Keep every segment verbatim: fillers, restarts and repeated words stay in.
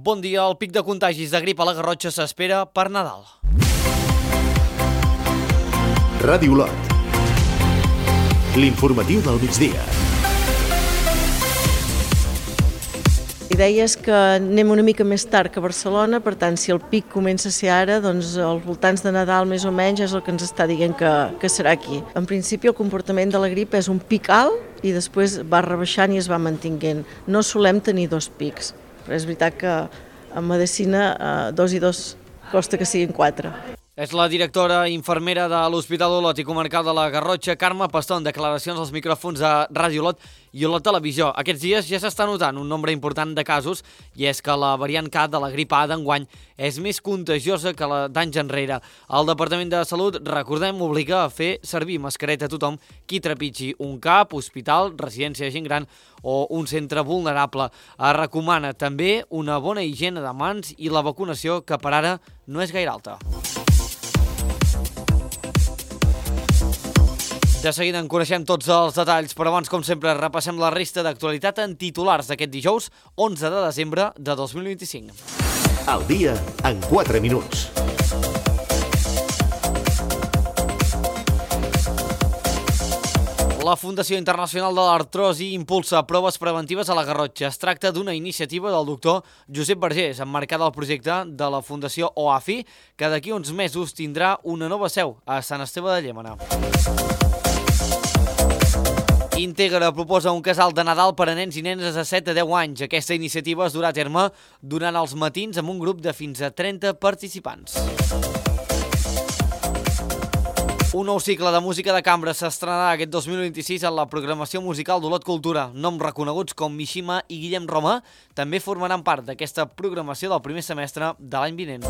Bon dia, el pic de contagis de grip a la Garrotxa s'espera per Nadal. Ràdio Olot. L'informatiu del migdia. I deies que anem una mica més tard que Barcelona, per tant, si el pic comença a ser ara, doncs als voltants de Nadal més o menys és el que ens està dient que, que serà aquí. En principi el comportament de la grip és un pic alt i després va rebaixant i es va mantinguent. No solem tenir dos pics, però és veritat que en medicina eh, dos i dos costa que siguin quatre. És la directora infermera de l'Hospital Olot i Comarcal de la Garrotxa, Carme Pastor, en declaracions als micròfons de Ràdio Olot i Olot Televisió. Aquests dies ja s'està notant un nombre important de casos i és que la variant K de la grip A d'enguany és més contagiosa que la d'anys enrere. El Departament de Salut, recordem, obliga a fer servir mascareta a tothom qui trepitgi un CAP, hospital, residència de gent gran o un centre vulnerable. Es recomana també una bona higiene de mans i la vacunació, que per ara no és gaire alta. De seguida en coneixem tots els detalls, però abans, com sempre, repassem la resta d'actualitat en titulars d'aquest dijous, onze de desembre de dos mil vint-i-cinc. Al dia en quatre minuts. La Fundació Internacional de l'Artrosi impulsa proves preventives a la Garrotxa. Es tracta d'una iniciativa del doctor Josep Vergés, emmarcada al projecte de la Fundació O A F I, que d'aquí uns mesos tindrà una nova seu a Sant Esteve de Llémena. Integra proposa un casal de Nadal per a nens i nenes de set a deu anys. Aquesta iniciativa es durà a terme durant els matins amb un grup de fins a trenta participants. Un nou cicle de música de cambra s'estrenarà aquest dos mil vint-i-sis en la programació musical d'Olot Cultura. Noms reconeguts com Mishima i Guillem Roma també formaran part d'aquesta programació del primer semestre de l'any vinent.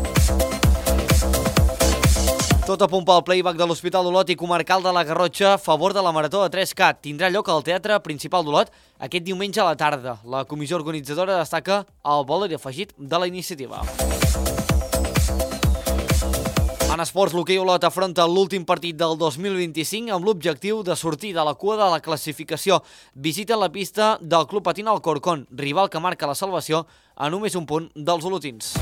Tot a punt pel playback de l'Hospital d'Olot i Comarcal de la Garrotxa a favor de la Marató de tres K. Tindrà lloc al Teatre Principal d'Olot aquest diumenge a la tarda. La comissió organitzadora destaca el valor afegit de la iniciativa. En esports, l'hoquei Olot afronta l'últim partit del dos mil vint-i-cinc amb l'objectiu de sortir de la cua de la classificació. Visita la pista del Club Patín Alcorcón, rival que marca la salvació a només un punt dels olotins.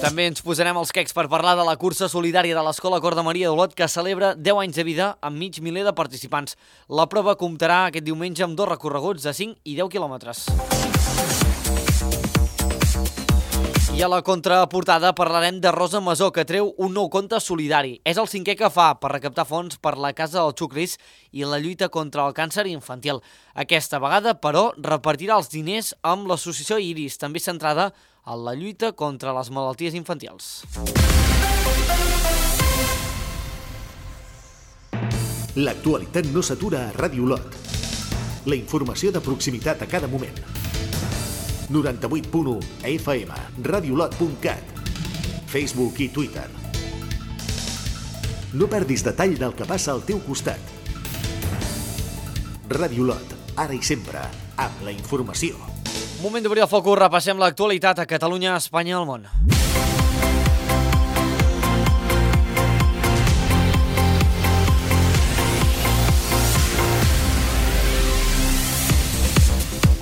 També ens posarem els quecs per parlar de la cursa solidària de l'Escola Cor de Maria d'Olot, que celebra deu anys de vida amb mig miler de participants. La prova comptarà aquest diumenge amb dos recorreguts de cinc i deu quilòmetres. I a la contraportada parlarem de Rosa Masó, que treu un nou compte solidari. És el cinquè que fa per recaptar fons per la Casa del Xucris i la lluita contra el càncer infantil. Aquesta vegada, però, repartirà els diners amb l'associació Iris, també centrada en la lluita contra les malalties infantils. L'actualitat no s'atura a Ràdio Olot. La informació de proximitat a cada moment. noranta-vuit punt u F M, radiolot punt cat, Facebook i Twitter. No perdis detall del que passa al teu costat. Ràdio Olot, ara i sempre, amb la informació. Moment d'obrir el focus, repassem l'actualitat a Catalunya, Espanya i el món.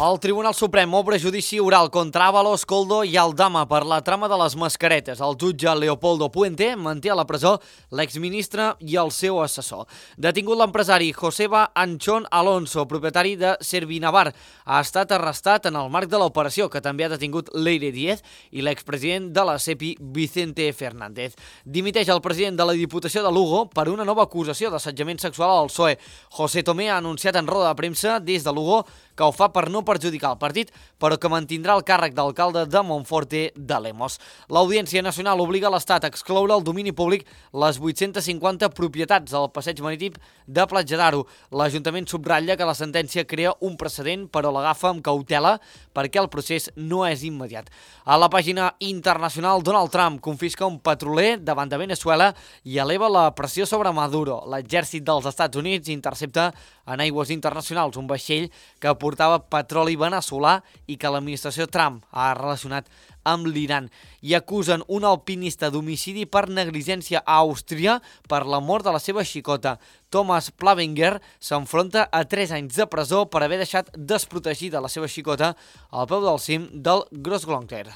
El Tribunal Suprem obre judici oral contra Ábalos, Koldo i Aldama per la trama de les mascaretes. El jutge Leopoldo Puente manté a la presó l'exministre i el seu assessor. Detingut l'empresari Joseba Anchón Alonso, propietari de Servinavar, ha estat arrestat en el marc de l'operació, que també ha detingut Leire Díez i l'expresident de la SEPI, Vicente Fernández. Dimiteix el president de la Diputació de Lugo per una nova acusació d'assetjament sexual al P S O E. José Tomé ha anunciat en roda de premsa des de Lugo que ho fa per no perjudicar el partit, però que mantindrà el càrrec d'alcalde de Monforte de Lemos. L'Audiència Nacional obliga l'Estat a excloure el domini públic les vuit-centes cinquanta propietats del passeig marítim de Platja d'Aro. L'Ajuntament subratlla que la sentència crea un precedent, però l'agafa amb cautela perquè el procés no és immediat. A la pàgina internacional, Donald Trump confisca un petroler davant de Venezuela i eleva la pressió sobre Maduro. L'exèrcit dels Estats Units intercepta en aigües internacionals un vaixell que portava petroli veneçolà i que l'administració Trump ha relacionat amb l'Iran. I acusen un alpinista d'homicidi per negligència a Àustria per la mort de la seva xicota. Thomas Plavinger s'enfronta a tres anys de presó per haver deixat desprotegida la seva xicota al peu del cim del Großglockner.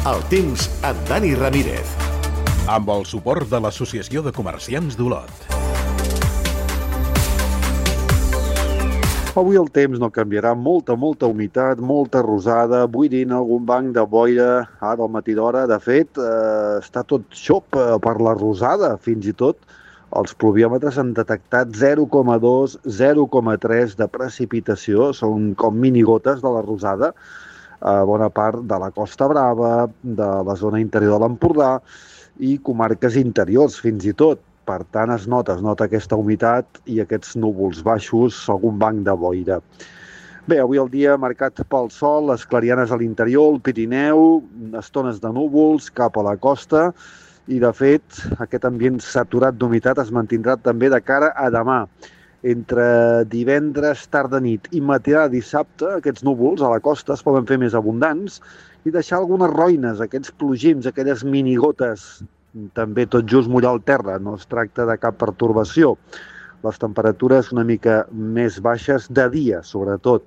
El temps amb Dani Ramírez. Amb el suport de l'Associació de Comerciants d'Olot. Avui el temps no canviarà, molta, molta humitat, molta rosada, buidint algun banc de boira ara al matí d'hora. De fet, eh, està tot xop eh, per la rosada, fins i tot. Els pluviòmetres han detectat zero coma dos, zero coma tres de precipitació, són com minigotes de la rosada, a bona part de la Costa Brava, de la zona interior de l'Empordà i comarques interiors fins i tot. Per tant, es nota, es nota aquesta humitat i aquests núvols baixos, algun banc de boira. Bé, avui el dia marcat pel sol, les clarianes a l'interior, el Pirineu, estones de núvols cap a la costa i, de fet, aquest ambient saturat d'humitat es mantindrà també de cara a demà. Entre divendres, tarda nit i matinada de dissabte, aquests núvols a la costa es poden fer més abundants i deixar algunes roïnes, aquests plogims, aquelles minigotes, també tot just mullar el terra, no es tracta de cap pertorbació. Les temperatures una mica més baixes de dia, sobretot.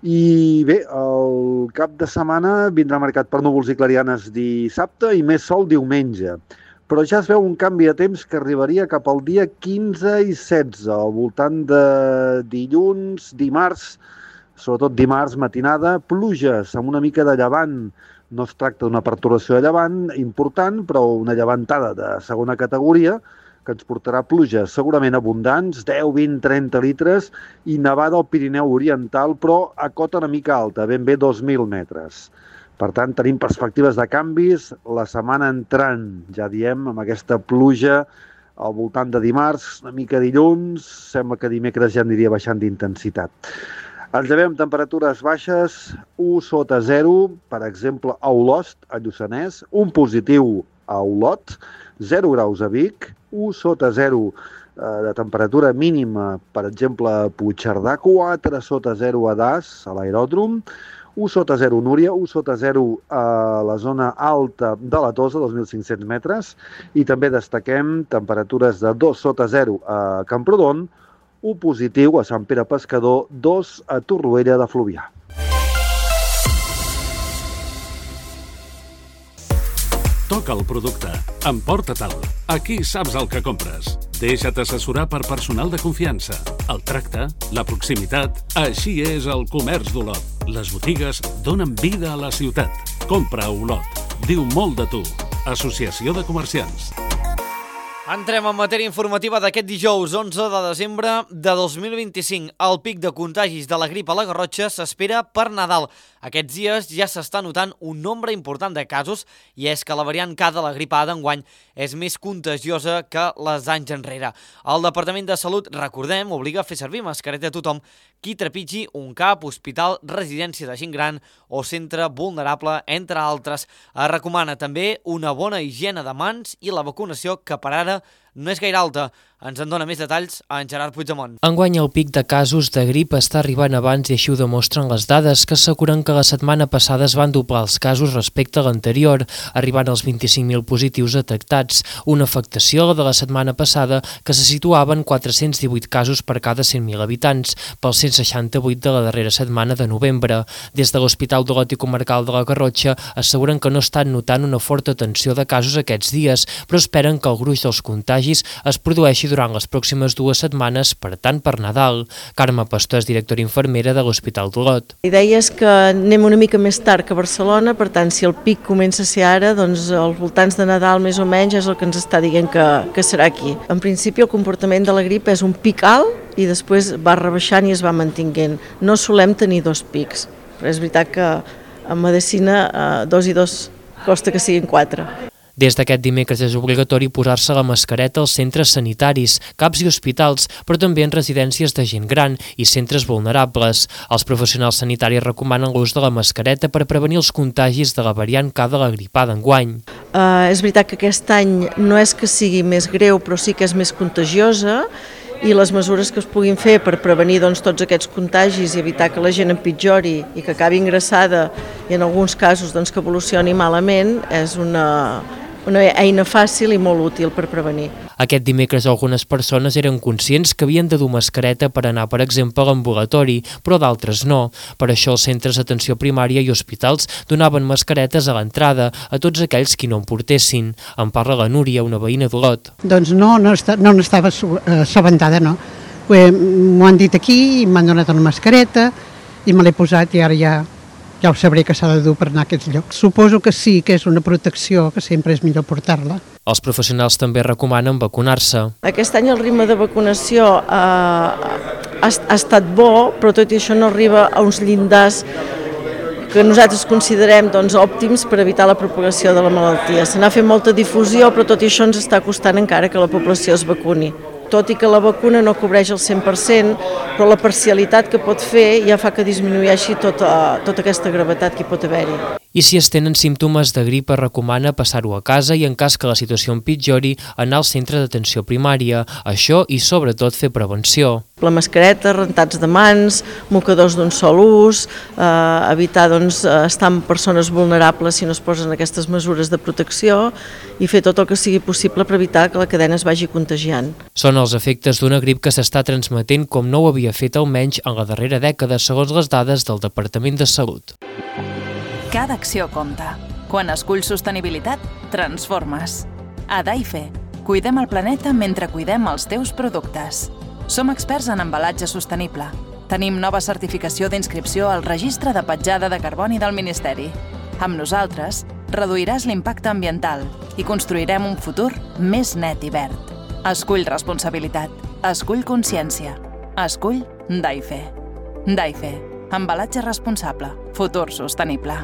I bé, el cap de setmana vindrà marcat per núvols i clarianes dissabte i més sol diumenge. Però ja es veu un canvi de temps que arribaria cap al dia quinze i setze, al voltant de dilluns, dimarts, sobretot dimarts matinada, pluges amb una mica de llevant. No es tracta d'una pertorbació de llevant important, però una llevantada de segona categoria que ens portarà pluges segurament abundants, deu, vint, trenta litres, i nevada al Pirineu Oriental, però a cota una mica alta, ben bé dos mil metres. Per tant, tenim perspectives de canvis la setmana entrant, ja diem, amb aquesta pluja al voltant de dimarts, una mica dilluns, sembla que dimecres ja aniria baixant d'intensitat. Ens llevem temperatures baixes, u sota zero, per exemple, a Olost, a Lluçanès, un positiu a Olot, zero graus a Vic, u sota zero eh, de temperatura mínima, per exemple, a Puigcerdà, quatre sota zero a Das, a l'aeròdrom, u sota zero Núria, u sota zero a la zona alta de la Tosa, dos mil cinc-cents metres, i també destaquem temperatures de dos sota zero a Camprodon, u positiu a Sant Pere Pescador, dos a Torroella de Fluvià. Toca el producte. Emporta-te'l. Aquí saps el que compres. Deixa't assessorar per personal de confiança. El tracte, la proximitat, així és el comerç d'Olot. Les botigues donen vida a la ciutat. Compra a Olot. Diu molt de tu. Associació de Comerciants. Entrem en matèria informativa d'aquest dijous onze de desembre de dos mil vint-i-cinc. El pic de contagis de la grip a la Garrotxa s'espera per Nadal. Aquests dies ja s'està notant un nombre important de casos i és que la variant K de la grip A d'enguany és més contagiosa que les anys enrere. El Departament de Salut, recordem, obliga a fer servir mascareta a tothom qui trepitgi un CAP, hospital, residència de gent gran o centre vulnerable, entre altres. Es recomana també una bona higiene de mans i la vacunació, que per ara no és gaire alta. Ens en dona més detalls en Gerard Puigdemont. Enguany el pic de casos de grip està arribant abans i així ho demostren les dades, que asseguren que la setmana passada es van doblar els casos respecte a l'anterior, arribant als vint-i-cinc mil positius detectats, una afectació, la de la setmana passada, que se situava en quatre-cents divuit casos per cada cent mil habitants, pels cent seixanta-vuit de la darrera setmana de novembre. Des de l'Hospital d'Olot i Comarcal de la Garrotxa asseguren que no estan notant una forta tensió de casos aquests dies, però esperen que el gruix dels contagis es produeixi durant les pròximes dues setmanes, per tant per Nadal. Carme Pastor és directora infermera de l'Hospital d'Olot. La idea és que anem una mica més tard que Barcelona, per tant si el pic comença a ser ara, doncs als voltants de Nadal més o menys és el que ens està dient que, que serà aquí. En principi el comportament de la grip és un pic alt i després va rebaixant i es va mantinguent. No solem tenir dos pics, però és veritat que en medicina eh, dos i dos costa que siguin quatre. Des d'aquest dimecres és obligatori posar-se la mascareta als centres sanitaris, CAPs i hospitals, però també en residències de gent gran i centres vulnerables. Els professionals sanitaris recomanen l'ús de la mascareta per prevenir els contagis de la variant K de la gripada enguany. Uh, és veritat que aquest any no és que sigui més greu, però sí que és més contagiosa, i les mesures que es puguin fer per prevenir doncs, tots aquests contagis i evitar que la gent empitjori i que acabi ingressada i en alguns casos doncs, que evolucioni malament és una, una eina fàcil i molt útil per prevenir. Aquest dimecres algunes persones eren conscients que havien de dur mascareta per anar, per exemple, a l'ambulatori, però d'altres no. Per això els centres d'atenció primària i hospitals donaven mascaretes a l'entrada a tots aquells qui no en portessin. En parla la Núria, una veïna d'Olot. Doncs no, no, no n'estava assabentada, no. M'ho han dit aquí i m'han donat una mascareta i me l'he posat i ara ja... ja ho sabré que s'ha de dur per anar a aquests llocs. Suposo que sí, que és una protecció, que sempre és millor portar-la. Els professionals també recomanen vacunar-se. Aquest any el ritme de vacunació eh, ha, ha estat bo, però tot i això no arriba a uns llindars que nosaltres considerem doncs, òptims per evitar la propagació de la malaltia. Se n'ha fet molta difusió, però tot i això ens està costant encara que la població es vacuni. Tot i que la vacuna no cobreix el cent per cent, però la parcialitat que pot fer ja fa que disminueixi tota, tota aquesta gravetat que hi pot haver-hi. I si es tenen símptomes de grip, es recomana passar-ho a casa i, en cas que la situació empitjori, anar al centre d'atenció primària. Això i, sobretot, fer prevenció. La mascareta, rentats de mans, mocadors d'un sol ús, eh, evitar doncs, estar amb persones vulnerables si no es posen aquestes mesures de protecció i fer tot el que sigui possible per evitar que la cadena es vagi contagiant. Són els efectes d'una grip que s'està transmetent com no ho havia fet almenys en la darrera dècada, segons les dades del Departament de Salut. Cada acció compta. Quan esculls sostenibilitat, transformes. A Daife, cuidem el planeta mentre cuidem els teus productes. Som experts en embalatge sostenible. Tenim nova certificació d'inscripció al Registre de Petjada de Carboni del Ministeri. Amb nosaltres, reduiràs l'impacte ambiental i construirem un futur més net i verd. Escull responsabilitat. Escull consciència. Escull Daife. Daife. Embalatge responsable. Futur sostenible.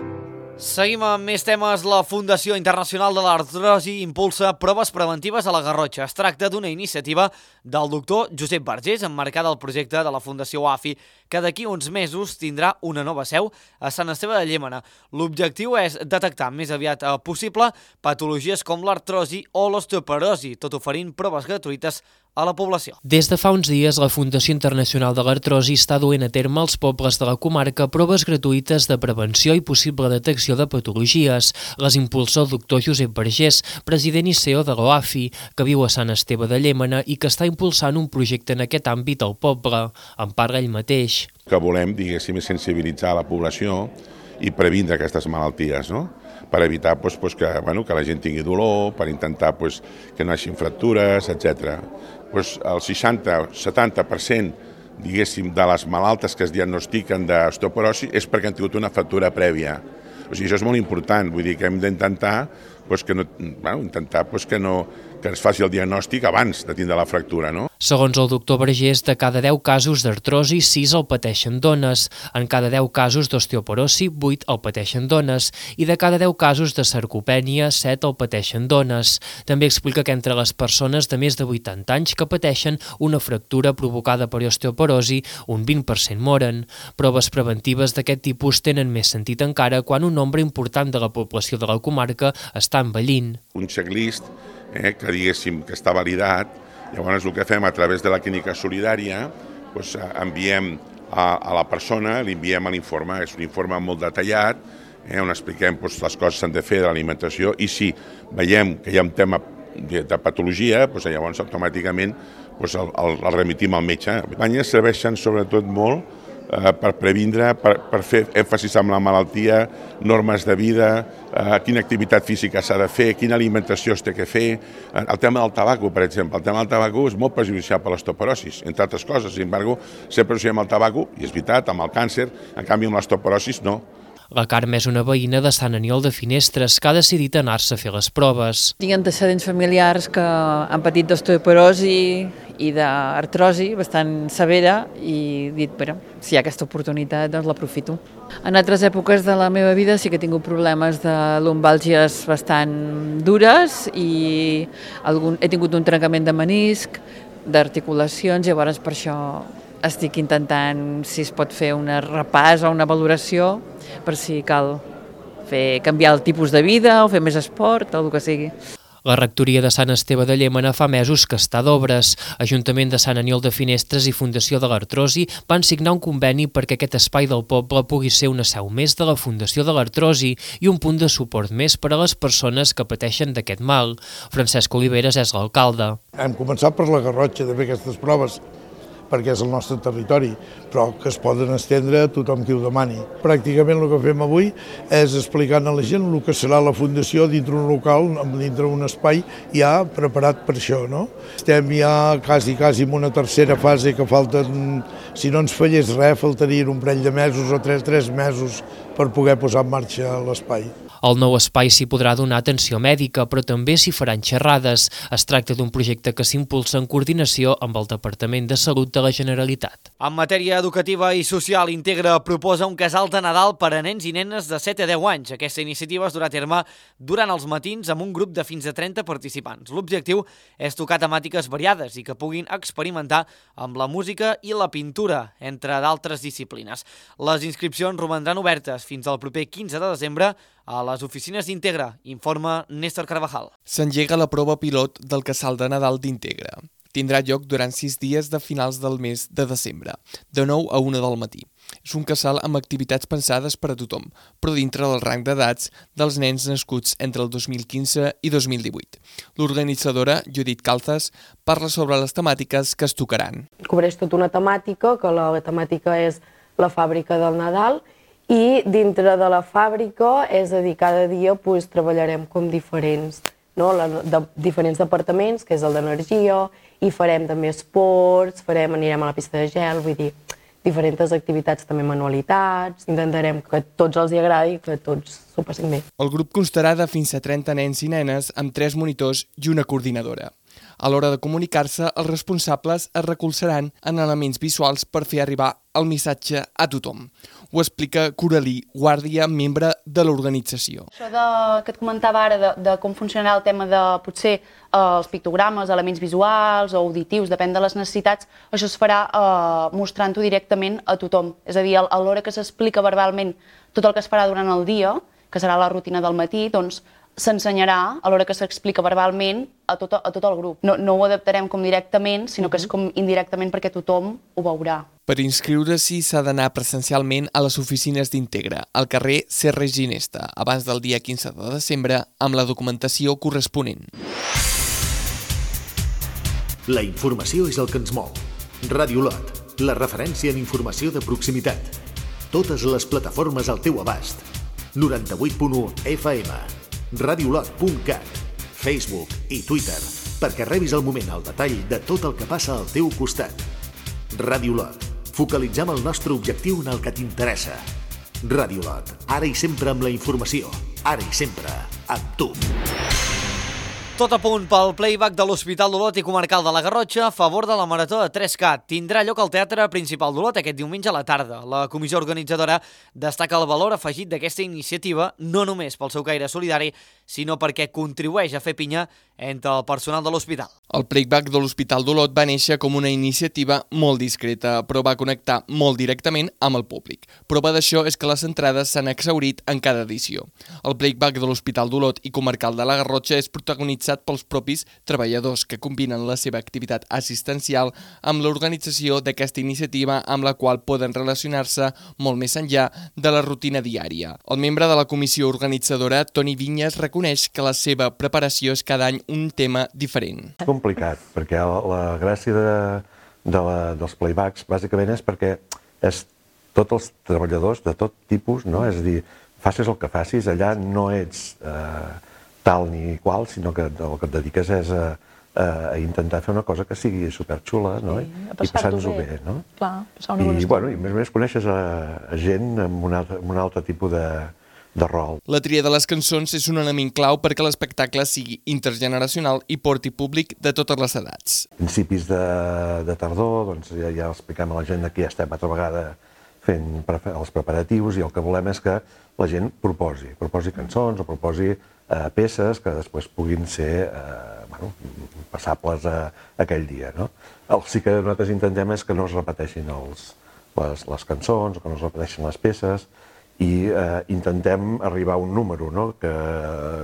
Seguim amb més temes. La Fundació Internacional de l'Artrosi impulsa proves preventives a la Garrotxa. Es tracta d'una iniciativa del doctor Josep Vergés, emmarcada al projecte de la Fundació A F I, que d'aquí uns mesos tindrà una nova seu a Sant Esteve de Llémena. L'objectiu és detectar més aviat possible patologies com l'artrosi o l'osteoporosi, tot oferint proves gratuïtes a la població. Des de fa uns dies, la Fundació Internacional de l'Artrosi està duent a terme als pobles de la comarca proves gratuïtes de prevenció i possible detecció de patologies. Les impulsa el doctor Josep Vergés, president i C E O de l'O A F I, que viu a Sant Esteve de Llémena i que està impulsant un projecte en aquest àmbit al poble. En parla ell mateix. Que volem, diguéssim, sensibilitzar la població i previndre aquestes malalties, no? Per evitar doncs, doncs, que, bueno, que la gent tingui dolor, per intentar doncs, que no hi hagi fractures, etcètera. Doncs el seixanta o setanta per cent diguéssim, de les malaltes que es diagnostiquen d'osteoporosi és perquè han tingut una fractura prèvia. O sigui, això és molt important, vull dir que hem d'intentar doncs, que, no, bueno, intentar, doncs, que, no, que es faci el diagnòstic abans de tindre la fractura, no? Segons el doctor Vergés, de cada deu casos d'artrosi, sis el pateixen dones. En cada deu casos d'osteoporosi, vuit el pateixen dones. I de cada deu casos de sarcopènia, set el pateixen dones. També explica que entre les persones de més de vuitanta anys que pateixen una fractura provocada per osteoporosi, un vint per cent moren. Proves preventives d'aquest tipus tenen més sentit encara quan un nombre important de la població de la comarca està envellint. Un checklist eh, que diguéssim que està validat. Llavors el que fem a través de la clínica solidària, doncs, enviem a, a la persona, li enviem l'informe, és un informe molt detallat, eh, on expliquem doncs, les coses que s'han de fer de l'alimentació i si veiem que hi ha un tema de, de patologia, doncs, llavors automàticament doncs, el, el, el remitim al metge. Les campanyes serveixen sobretot molt eh, per previndre, per, per fer èmfasis en la malaltia, normes de vida, eh, quina activitat física s'ha de fer, quina alimentació es té que fer. Eh, el tema del tabaco, per exemple, el tema del tabaco és molt perjudicial per l'osteoporosi, entre altres coses. Sin embargo, sempre associem el tabaco, i és veritat, amb el càncer, en canvi amb l'osteoporosi no. La Carme és una veïna de Sant Aniol de Finestres que ha decidit anar-se a fer les proves. Tinc antecedents familiars que han patit d'osteoporosi i d'artrosi bastant severa i he dit, bueno, si hi ha aquesta oportunitat, doncs l'aprofito. En altres èpoques de la meva vida sí que he tingut problemes de lumbàlgies bastant dures i algun, he tingut un trencament de menisc, d'articulacions, llavors per això estic intentant si es pot fer un repàs o una valoració per si cal fer canviar el tipus de vida o fer més esport o el que sigui. La rectoria de Sant Esteve de Llémena fa mesos que està d'obres. Ajuntament de Sant Aniol de Finestres i Fundació de l'Artrosi van signar un conveni perquè aquest espai del poble pugui ser una seu més de la Fundació de l'Artrosi i un punt de suport més per a les persones que pateixen d'aquest mal. Francesc Oliveres és l'alcalde. Hem començat per la Garrotxa de fer aquestes proves perquè és el nostre territori, però que es poden estendre a tothom qui ho demani. Pràcticament el que fem avui és explicar a la gent el que serà la Fundació dintre un local, dintre un espai ja preparat per això, no? Estem ja quasi, quasi en una tercera fase que falten, si no ens fallés res, faltarien un parell de mesos o tres, tres mesos per poder posar en marxa l'espai. Al nou espai s'hi podrà donar atenció mèdica, però també s'hi faran xerrades. Es tracta d'un projecte que s'impulsa en coordinació amb el Departament de Salut de la Generalitat. En matèria educativa i social, Integra proposa un casal de Nadal per a nens i nenes de set a deu anys. Aquesta iniciativa es durà a terme durant els matins amb un grup de fins a trenta participants. L'objectiu és tocar temàtiques variades i que puguin experimentar amb la música i la pintura, entre d'altres disciplines. Les inscripcions romandran obertes fins al proper quinze de desembre a les oficines d'Integra, informa Néstor Carvajal. S'engega la prova pilot del casal de Nadal d'Integra. Tindrà lloc durant sis dies de finals del mes de desembre, de nou a una del matí. És un casal amb activitats pensades per a tothom, però dintre del rang d'edats dels nens nascuts entre el dos mil quinze i dos mil divuit. L'organitzadora, Judit Calzas, parla sobre les temàtiques que es tocaran. Cobreix tota una temàtica, que la temàtica és la fàbrica del Nadal, i dintre de la fàbrica, és a dir, cada dia pues, treballarem com diferents, no? La, de, diferents departaments, que és el d'energia, i farem també esports, farem, anirem a la pista de gel, vull dir, diferents activitats, també manualitats, intentarem que tots els hi agradi i que tots s'ho passin bé. El grup constarà de fins a trenta nens i nenes amb tres monitors i una coordinadora. A l'hora de comunicar-se, els responsables es recolzaran en elements visuals per fer arribar el missatge a tothom. Ho explica Coralí Guàrdia, membre de l'organització. Això de, que et comentava ara de, de com funcionarà el tema de potser eh, els pictogrames, elements visuals o auditius, depèn de les necessitats, això es farà eh, mostrant-ho directament a tothom. És a dir, a l'hora que s'explica verbalment tot el que es farà durant el dia, que serà la rutina del matí, doncs s'ensenyarà a l'hora que s'explica verbalment a tot, a tot el grup. No, no ho adaptarem com directament, sinó que és com indirectament perquè tothom ho veurà. Per inscriure-s'hi s'ha d'anar presencialment a les oficines d'Integra, al carrer Serra i Ginesta, abans del dia quinze de desembre, amb la documentació corresponent. La informació és el que ens mou. Ràdio Lot, la referència en informació de proximitat. Totes les plataformes al teu abast. noranta-vuit punt u F M. radiolot punt cat, Facebook i Twitter, perquè rebis al moment el detall de tot el que passa al teu costat. Radiolot, focalitzem el nostre objectiu en el que t'interessa. Radiolot, ara i sempre amb la informació, ara i sempre amb tu. Tot a punt pel playback de l'Hospital d'Olot i Comarcal de la Garrotxa a favor de la Marató de tres K. Tindrà lloc al Teatre Principal d'Olot aquest diumenge a la tarda. La comissió organitzadora destaca el valor afegit d'aquesta iniciativa, no només pel seu caire solidari, sinó perquè contribueix a fer pinya entre el personal de l'hospital. El playback de l'Hospital d'Olot va néixer com una iniciativa molt discreta, però va connectar molt directament amb el públic. Prova d'això és que les entrades s'han exhaurit en cada edició. El playback de l'Hospital d'Olot i Comarcal de la Garrotxa és protagonitzat pels propis treballadors que combinen la seva activitat assistencial amb l'organització d'aquesta iniciativa amb la qual poden relacionar-se molt més enllà de la rutina diària. El membre de la comissió organitzadora, Toni Vinyes, reconeix que la seva preparació és cada any un tema diferent. És complicat, perquè la, la gràcia de, de la, dels playbacks bàsicament és perquè és tots els treballadors de tot tipus, no? És a dir, facis el que facis, allà no ets eh, tal ni qual, sinó que el que et dediques és a, a intentar fer una cosa que sigui superxula, no? Sí, a I passar-t'ho passar-nos-ho bé. bé, no? Clar, passar una bona I, estona. bueno, i a més a més coneixes a, a gent amb un altre, amb un altre tipus de, de rol. La tria de les cançons és un element clau perquè l'espectacle sigui intergeneracional i porti públic de totes les edats. Principis de, de tardor, doncs ja, ja expliquem a la gent que ja estem altra vegada fent pre- els preparatius i el que volem és que la gent proposi, proposi cançons o proposi eh, peces que després puguin ser eh, bueno, passables a, a aquell dia. No? El sí que nosaltres intentem és que no es repeteixin els, les, les cançons o que no es repeteixin les peces i eh, intentem arribar a un número, no? Que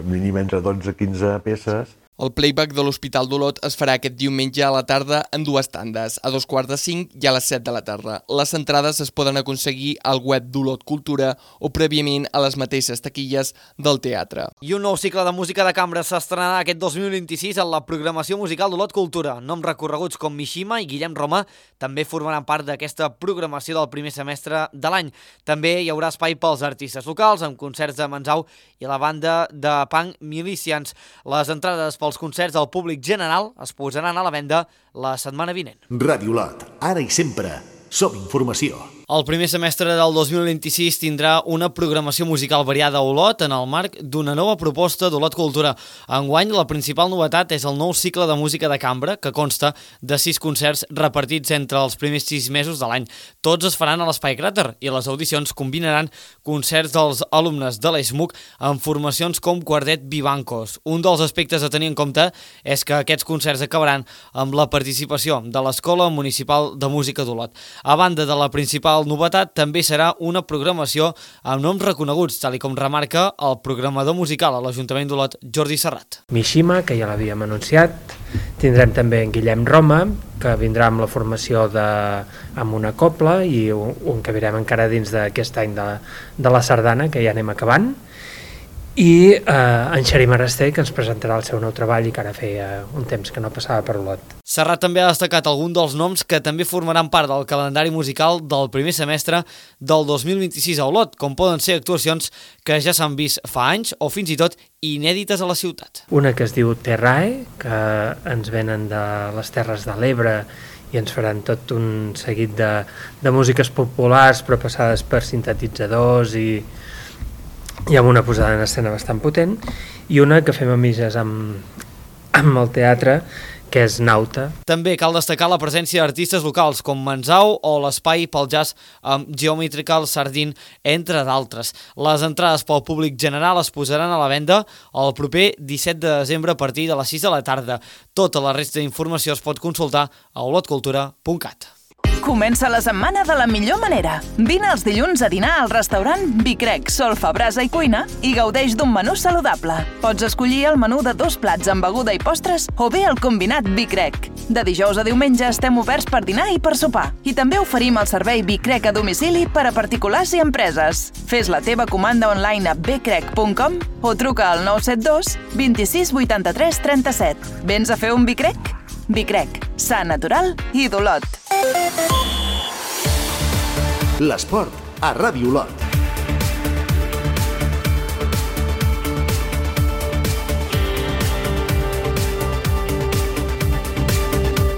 mínim entre dotze a quinze peces. El playback de l'Hospital d'Olot es farà aquest diumenge a la tarda en dues tandes, a dos quarts de cinc i a les set de la tarda. Les entrades es poden aconseguir al web d'Olot Cultura o prèviament a les mateixes taquilles del teatre. I un nou cicle de música de cambra s'estrenarà aquest dos mil vint-i-sis en la programació musical d'Olot Cultura. Noms recorreguts com Mishima i Guillem Roma també formaran part d'aquesta programació del primer semestre de l'any. També hi haurà espai pels artistes locals, amb concerts de Manzau i la banda de punk Milicians. Les entrades pels concerts del públic general es posaran a la venda la setmana vinent. Ràdio Olot, ara i sempre, som informació. El primer semestre del dos mil vint-i-sis tindrà una programació musical variada a Olot en el marc d'una nova proposta d'Olot Cultura. Enguany, la principal novetat és el nou cicle de música de cambra, que consta de sis concerts repartits entre els primers sis mesos de l'any. Tots es faran a l'Espai Cràter i les audicions combinaran concerts dels alumnes de l'E S M U C amb formacions com Quartet Vivancos. Un dels aspectes a tenir en compte és que aquests concerts acabaran amb la participació de l'Escola Municipal de Música d'Olot. A banda de la principal novetat, també serà una programació amb noms reconeguts, tal i com remarca el programador musical a l'Ajuntament d'Olot, Jordi Serrat. Mishima, que ja l'havíem anunciat, tindrem també en Guillem Roma, que vindrà amb la formació de, amb una copla i un, un que virem encara dins d'aquest any de, de la sardana, que ja anem acabant, i eh, en Xarim Araster, que ens presentarà el seu nou treball i que ara feia un temps que no passava per Olot. Serrat també ha destacat algun dels noms que també formaran part del calendari musical del primer semestre del dos mil vint-i-sis a Olot, com poden ser actuacions que ja s'han vist fa anys o fins i tot inèdites a la ciutat. Una que es diu Terrae, que ens venen de les Terres de l'Ebre i ens faran tot un seguit de, de músiques populars però passades per sintetitzadors i i amb una posada en escena bastant potent, i una que fem amises amb, amb el teatre, que és Nauta. També cal destacar la presència d'artistes locals com Manzau o l'Espai pel Jazz amb Geometrical Sardine, entre d'altres. Les entrades pel públic general es posaran a la venda el proper disset de desembre a partir de les sis de la tarda. Tota la resta d'informació es pot consultar a olotcultura punt cat. Comença la setmana de la millor manera. Vine els dilluns a dinar al restaurant Bicrec, Solfa, Brasa i Cuina i gaudeix d'un menú saludable. Pots escollir el menú de dos plats amb beguda i postres o bé el combinat Bicrec. De dijous a diumenge estem oberts per dinar i per sopar. I també oferim el servei Bicrec a domicili per a particulars i empreses. Fes la teva comanda online a bcrec punt com o truca al nou set dos vint-i-sis vuitanta-tres trenta-set. Vens a fer un Bicrec? Bicrec, sa natural i d'Olot. L'esport a Ràdio Olot.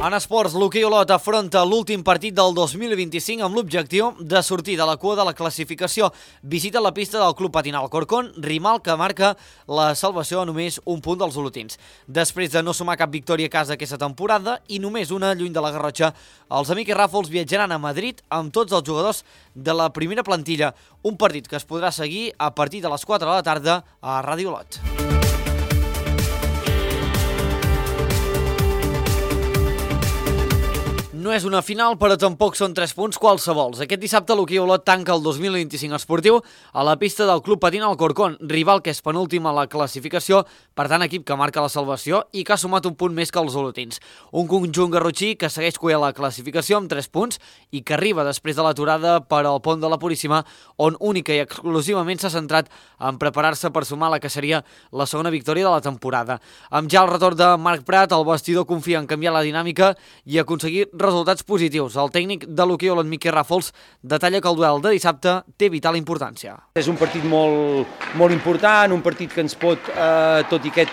En esports, l'hoquei Olot afronta l'últim partit del dos mil vint-i-cinc amb l'objectiu de sortir de la cua de la classificació. Visita la pista del Club Patinal Corcón, rival que marca la salvació a només un punt dels olotins. Després de no sumar cap victòria a casa aquesta temporada i només una lluny de la Garrotxa, els amics Ràfols viatjaran a Madrid amb tots els jugadors de la primera plantilla. Un partit que es podrà seguir a partir de les quatre de la tarda a Ràdio Olot. No és una final, però tampoc són tres punts qualsevols. Aquest dissabte l'hoquei Olot tanca el dos mil vint-i-cinc esportiu a la pista del Club Patinal Corcón, rival que és penúltim a la classificació, per tant equip que marca la salvació i que ha sumat un punt més que els olotins. Un conjunt garrotxí que segueix cuent la classificació amb tres punts i que arriba després de l'aturada per al pont de la Puríssima, on única i exclusivament s'ha centrat en preparar-se per sumar la que seria la segona victòria de la temporada. Amb ja el retorn de Marc Prat, el vestidor confia en canviar la dinàmica i aconseguir resultats resultats positius. El tècnic de l'hoquei Olot, Miquel Ràfols, detalla que el duel de dissabte té vital importància. És un partit molt, molt important, un partit que ens pot, eh, tot i aquest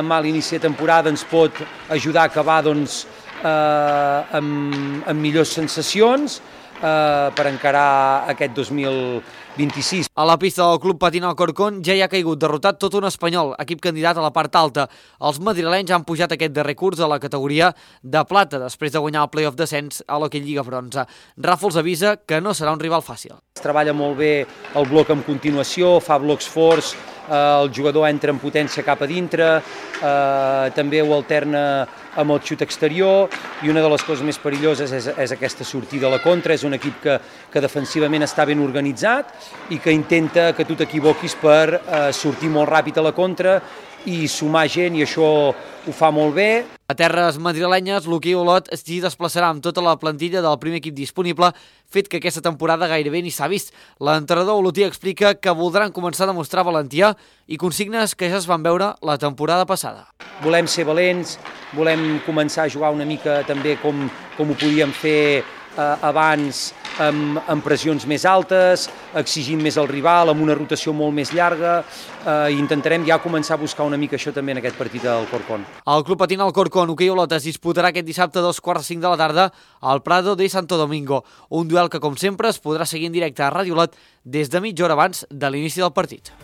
mal inici de temporada ens pot ajudar a acabar doncs, eh, amb, amb millors sensacions eh, per encarar aquest dos mil vint-i-sis. A la pista del Club Patín Alcorcón ja hi ha caigut derrotat tot un espanyol, equip candidat a la part alta. Els madrilenys han pujat aquest darrer curs a la categoria de plata, després de guanyar el play-off descens a l'Hockey Lliga Bronze. Ràfols avisa que no serà un rival fàcil. Es treballa molt bé el bloc en continuació, fa blocs forts, eh, el jugador entra en potència cap a dintre, eh, també ho alterna amb el xut exterior, i una de les coses més perilloses és, és aquesta sortida a la contra. És un equip que, que defensivament està ben organitzat i que intenta que tu t'equivoquis per eh, sortir molt ràpid a la contra i sumar gent, i això ho fa molt bé. A terres madrilenyes, l'hoquei Olot s'hi desplaçarà amb tota la plantilla del primer equip disponible, fet que aquesta temporada gairebé ni s'ha vist. L'entrenador olotí explica que voldran començar a demostrar valentia i consignes que ja es van veure la temporada passada. Volem ser valents, volem començar a jugar una mica també com, com ho podíem fer eh, abans, amb, amb pressions més altes, exigint més al rival, amb una rotació molt més llarga, eh, i intentarem ja començar a buscar una mica això també en aquest partit del Alcorcón. El Club Patín Alcorcón Hoquei Olot es disputarà aquest dissabte a dos quarts cinc de la tarda al Prado de Santo Domingo, un duel que, com sempre, es podrà seguir en directe a Ràdio Olot des de mitja hora abans de l'inici del partit.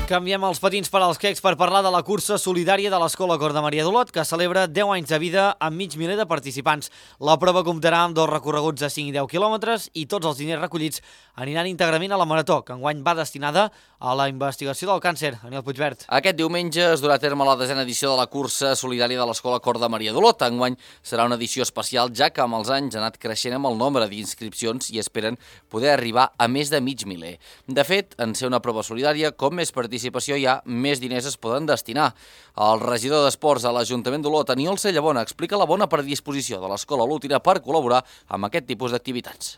Canviem els patins per als quecs per parlar de la cursa solidària de l'Escola Cor de Maria d'Olot, que celebra deu anys de vida amb mig miler de participants. La prova comptarà amb dos recorreguts de cinc i deu quilòmetres i tots els diners recollits aniran íntegrament a la Marató, que enguany va destinada a la investigació del càncer. Aniel Puigvert. Aquest diumenge es durà a terme la desena edició de la cursa solidària de l'Escola Cor de Maria d'Olot. Enguany serà una edició especial, ja que amb els anys ha anat creixent amb el nombre d'inscripcions i esperen poder arribar a més de mig miler. De fet, en ser una prova solidària, com més participació hi ha, més diners es poden destinar. El regidor d'Esports a l'Ajuntament d'Olot, Aniol Cellabona, explica la bona predisposició de l'Escola Olotina per col·laborar amb aquest tipus d'activitats.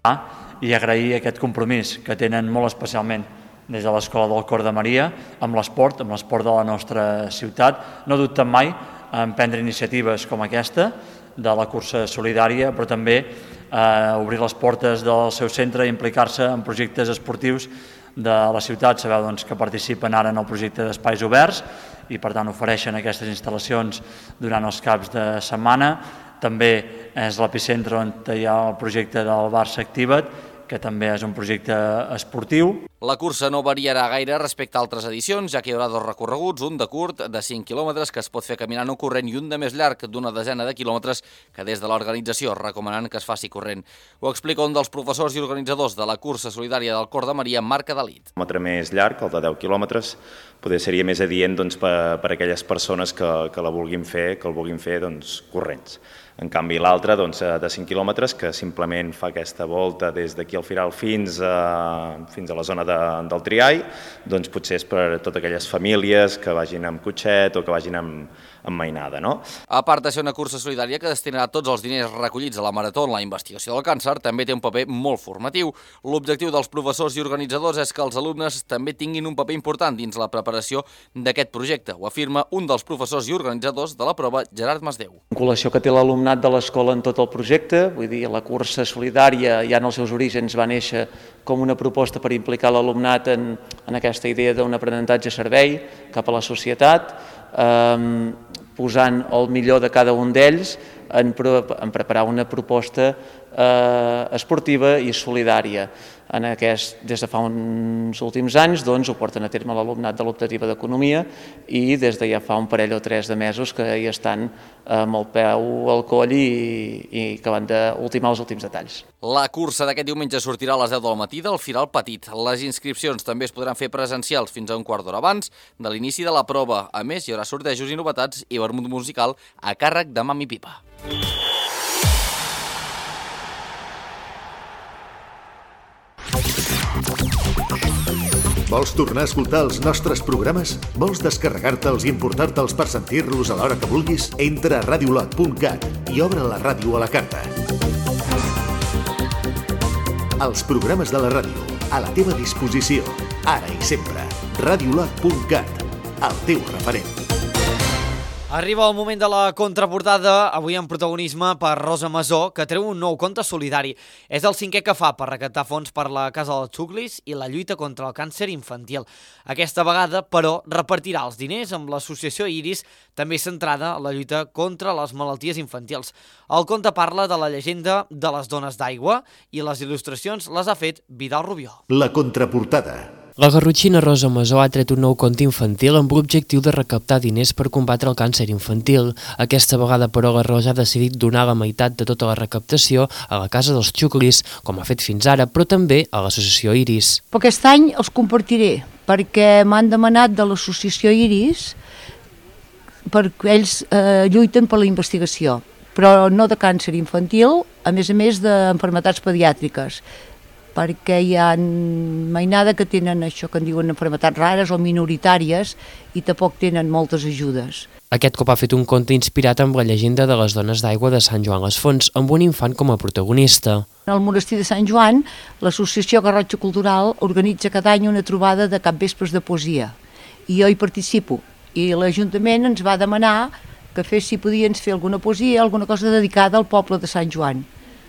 I agrair aquest compromís que tenen molt especialment des de l'Escola del Cor de Maria amb l'esport, amb l'esport de la nostra ciutat. No dubten mai en prendre iniciatives com aquesta de la cursa solidària, però també eh, obrir les portes del seu centre i implicar-se en projectes esportius de la ciutat. Sabeu doncs, que participen ara en el projecte d'Espais Oberts i per tant ofereixen aquestes instal·lacions durant els caps de setmana. També és l'epicentre on hi ha el projecte del Barça Activa't, que també és un projecte esportiu. La cursa no variarà gaire respecte a altres edicions, ja que hi haurà dos recorreguts, un de curt, de cinc quilòmetres, que es pot fer caminant o corrent, i un de més llarg, d'una desena de quilòmetres, que des de l'organització recomanen que es faci corrent. Ho explica un dels professors i organitzadors de la cursa solidària del Cor de Maria, Marc Adalit. Un quilòmetre més llarg, el de deu quilòmetres, poder seria més adient doncs, per, per aquelles persones que, que la vulguin fer, que el vulguin fer doncs, corrents. En canvi, l'altre, doncs, de cinc quilòmetres, que simplement fa aquesta volta des d'aquí al Firal fins a, fins a la zona de, del Triall, doncs potser és per a totes aquelles famílies que vagin amb cotxet o que vagin amb, amb mainada, no? A part de ser una cursa solidària que destinarà tots els diners recollits a la Marató en la investigació del càncer, també té un paper molt formatiu. L'objectiu dels professors i organitzadors és que els alumnes també tinguin un paper important dins la preparació d'aquest projecte, ho afirma un dels professors i organitzadors de la prova, Gerard Masdeu. La vinculació que té l'alumnat de l'escola en tot el projecte, vull dir, la cursa solidària ja en els seus orígens va néixer com una proposta per implicar l'alumnat en, en aquesta idea d'un aprenentatge servei cap a la societat, eh, posant el millor de cada un d'ells en, en preparar una proposta eh, esportiva i solidària. En aquest, des de fa uns últims anys doncs, ho porten a terme l'alumnat de l'optativa d'Economia i des de ja fa un parell o tres de mesos que hi estan amb el peu al coll i, i que van d'ultimar els últims detalls. La cursa d'aquest diumenge sortirà a les deu del matí del Firal Petit. Les inscripcions també es podran fer presencials fins a un quart d'hora abans de l'inici de la prova. A més, hi haurà sortejos i novetats i vermut musical a càrrec de Mami Pipa. Vols tornar a escoltar els nostres programes? Vols descarregar-te'ls i importar-te'ls per sentir-los a l'hora que vulguis? Entra a radiolot punt cat i obre la ràdio a la carta. Els programes de la ràdio, a la teva disposició, ara i sempre. radiolot punt cat, el teu referent. Arriba el moment de la contraportada, avui en protagonisme per Rosa Masó, que treu un nou compte solidari. És el cinquè que fa per recaptar fons per la Casa dels Xuclis i la lluita contra el càncer infantil. Aquesta vegada, però, repartirà els diners amb l'associació Iris, també centrada en la lluita contra les malalties infantils. El conte parla de la llegenda de les dones d'aigua i les il·lustracions les ha fet Vidal Rubió. La contraportada. La garrotxina Rosa Masó ha tret un nou conte infantil amb l'objectiu de recaptar diners per combatre el càncer infantil. Aquesta vegada, però, la Rosa ha decidit donar la meitat de tota la recaptació a la Casa dels Xuclis, com ha fet fins ara, però també a l'associació Iris. Però aquest any els compartiré, perquè m'han demanat de l'associació Iris, perquè ells eh, lluiten per la investigació, però no de càncer infantil, a més a més d'enfermetats pediàtriques, perquè hi ha mainada que tenen això que en diuen enfermetats rares o minoritàries i tampoc tenen moltes ajudes. Aquest cop ha fet un conte inspirat amb la llegenda de les dones d'aigua de Sant Joan les Fonts, amb un infant com a protagonista. Al monestir de Sant Joan, l'associació Garrotxa Cultural organitza cada any una trobada de capvespres de poesia, i jo hi participo, i l'Ajuntament ens va demanar que fes, si podien fer alguna poesia, alguna cosa dedicada al poble de Sant Joan.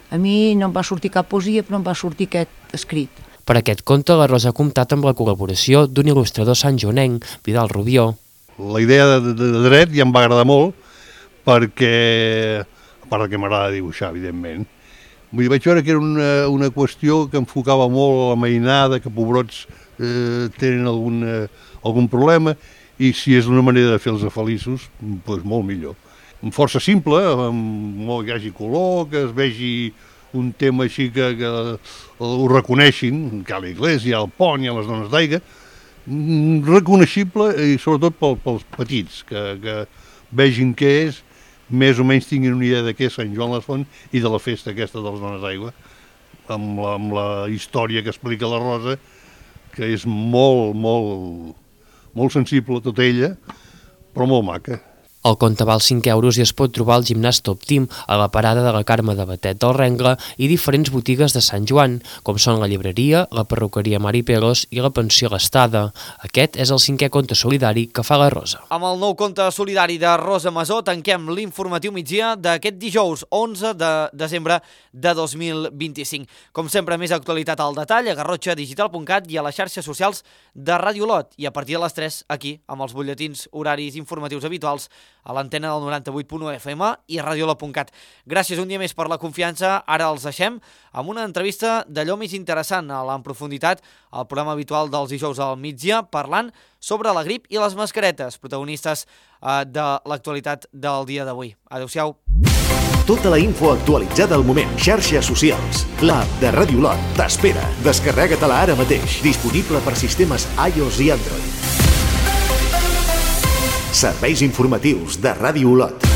A mi no em va sortir cap poesia, però em va sortir aquest escrit. Per aquest conte, la Rosa ha comptat amb la col·laboració d'un il·lustrador santjoanenc, Vidal Rubió. La idea de, de, de dret ja em va agradar molt, perquè, a part que m'agrada dibuixar, evidentment, vull dir, vaig veure que era una, una qüestió que enfocava molt la mainada, que pobrots eh, tenen algun, eh, algun problema, i si és una manera de fer-los feliços, doncs molt millor. Força simple, amb molt que hi hagi color, que es vegi un tema així que, que ho reconeixin, que a l'església, al pont i a les dones d'aigua, reconeixible i sobretot pel, pels petits, que, que vegin què és, més o menys tinguin una idea de què és Sant Joan les Fonts i de la festa aquesta de les dones d'aigua, amb, la, amb la història que explica la Rosa, que és molt, molt, molt sensible tota ella, però molt maca. El conte val cinc euros i es pot trobar al gimnàs Top Team, a la parada de la Carme de Batet del Rengle i diferents botigues de Sant Joan, com són la llibreria, la perruqueria Mari Pelos i la pensió L'Estada. Aquest és el cinquè conte solidari que fa la Rosa. Amb el nou conte solidari de Rosa Masó tanquem l'informatiu migdia d'aquest dijous onze de desembre de dos mil vint-i-cinc. Com sempre, més actualitat al detall a garrotxa digital punt cat i a les xarxes socials de Ràdio Olot. I a partir de les tres, aquí, amb els butlletins horaris informatius habituals, a l'antena del noranta-vuit punt u F M i radiolot punt cat. Gràcies un dia més per la confiança. Ara els deixem amb una entrevista d'allò més interessant a l'en profunditat, al programa habitual dels dijous al migdia, parlant sobre la grip i les mascaretes, protagonistes eh, de l'actualitat del dia d'avui. Adéu-siau. Tota la info actualitzada al moment. Xarxes socials. L'app de Ràdio Olot t'espera. Descarrega-te-la ara mateix. Disponible per sistemes iOS i Android. Serveis informatius de Ràdio Olot.